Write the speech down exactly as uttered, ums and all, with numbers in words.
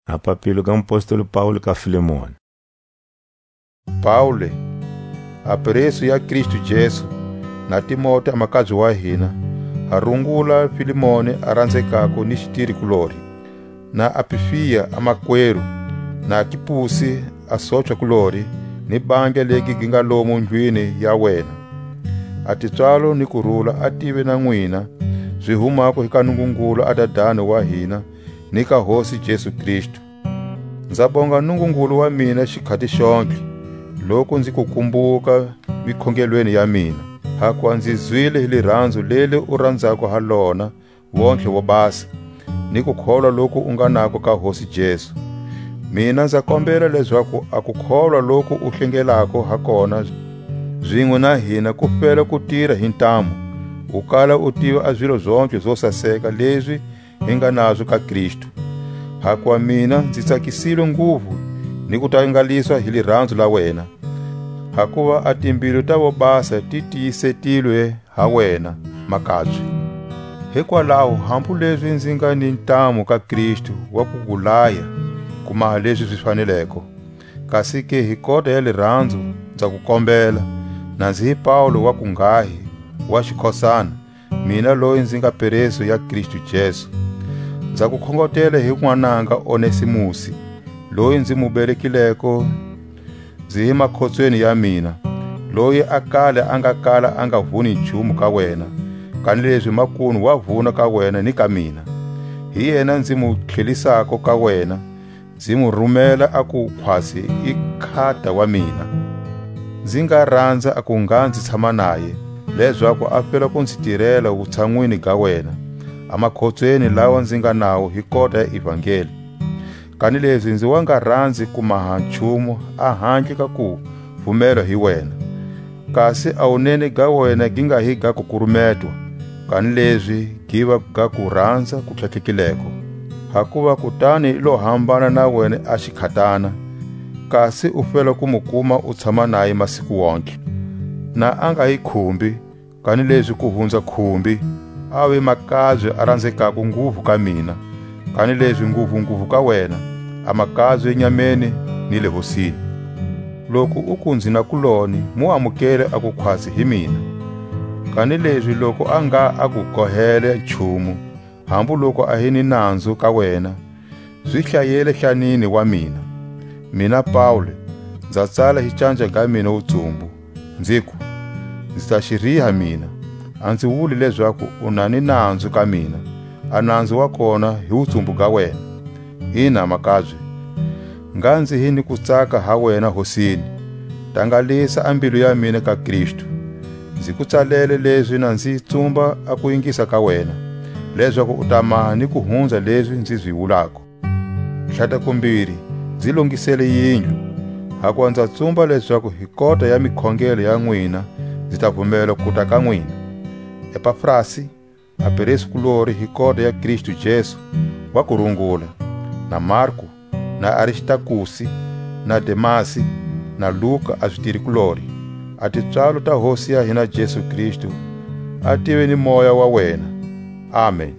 A papilo ga mupostoli Paule ka Filemoni. Paule, a presu ya Kristu Jesu, na Timote a makabye wa hina, ha rungula Filemoni a ranzekako ni xitiri kulori, na Apifia a makweru, na Kipusi a sochwa kulori, ni bandla legi gi nga lomu ndlwini ya wena. A tipswalo ni kurula a tive na nwina, zi humako hi ka Nungungulu a Dadani wa hina, ni ka Hosi Jesu Kristu. Nza bonga Nungungulu wa mina xikhati xontlhe, loku nzi ku kumbuka mikhongelweni ya mina, hakuva nzi zwile hi liranzu leli u ranzako ha lona vontlhe wo basa, ni kukholwa loku u nga nako ka Hosi Jesu. Mina nza kombela lezaku a kukholwa loku u hlengelako ha kona zinwe na hina ku fela ku tira hi ntamu, u kala u tiva a zilo zontlhe zo saseka lezi hi nga nazo ka Kristu. Hakuva mina nzi tsakisilwe nguvu ni ku tangaliswa hi liranzu la wena, hakuva a timbilu ta vobasa ti tiyisetilwe ha wena, makabye. Hikwalaho, hambu lezi nzi nga ni ntamu ka Kristu wa ku ku laya ku maha lezi zi faneleko, kasi ke hi kota ya liranzu nza ku kombela, na nzi hi Paule wa kunghahi, wa xikhosana, mina loyi nzi nga peresu ya Kristu Jesu. Nza ku khongotela hi n'wananga Onesimusi, loyi nzi mu belekileko nzi hi makhotsweni ya mina, loyi a kale a nga kala a nga vuni nchumu ka wena, kanilezi makunu wa vuna ka wena ni ka mina. Hi yena nzi mu tlhelisako ka wena, nzi mu rumela a ku khwatsi i khata wa mina. Nzi nga ranza a ku ngha nzi tshama naye, lezaku a fela ku nzi tirela wutshanwini ga wena, a makhotsweni lawa nzi nga nawo hi kota ya ivangeli. Kanilezi nzi wa nga ranzi ku maha nchumu a handle ka ku vumelwa hi wena. Kasi a wunene ga wena gi nga hi ga kukurumetwa, kanilezi gi va ga kuranza ku tlhatlhekileko. Hakuva kutani i lo hambana na wena a xikhatana, kasi u fela ku mu kuma u tshama naye masiku wontlhe. Na a nga hi khumbi, kanilezi ku hunza khumbi, a ve makabye a ranzekako nguvu ka mina, kanilezi nguvu-nguvu ka wena, a makabye nyameni ni le Hosini. Loku u ku nzi na kuloni, mu amukele a kukhwatsi hi mina. Kanilezi loku a nga a ku kohele nchumu, hambu loku a hi ni nanzu ka wena, zi hlayele hlanini wa mina. Mina Paule, nza tsala hi canja ga mina wutsumbu, nziku, nzi ta xi riha mina, a nzi wuli lezaku u na ni nanzu ka mina, a nanzu wa kona hi wutsumbu ga wena. Ina, makabye, ngha nzi hi ni kutsaka ha wena Hosini, tangalisa a mbilu ya mina ka Kristu. Nzi ku tsalele lezi na nzi tsumba a kuyingisa ka wena, lezaku u ta maha ni ku hunza lezi nzi zi wulako. Tlhatakumbiri, nzi longisele yindlu, hakuva nza tsumba lezaku hi kota ya mikhongelo ya nwina nzi ta vumela kuta ka nwina. Epafrasi, a pereskulori hi kota ya Kristu Jesu, wa ku rungula, na Marku, na Aristakusi, na Demasi, na Luka a zitirikulori. A tipswalo ta Hosi ya hina Jesu Kristu a tive ni moya wa wena. Amen.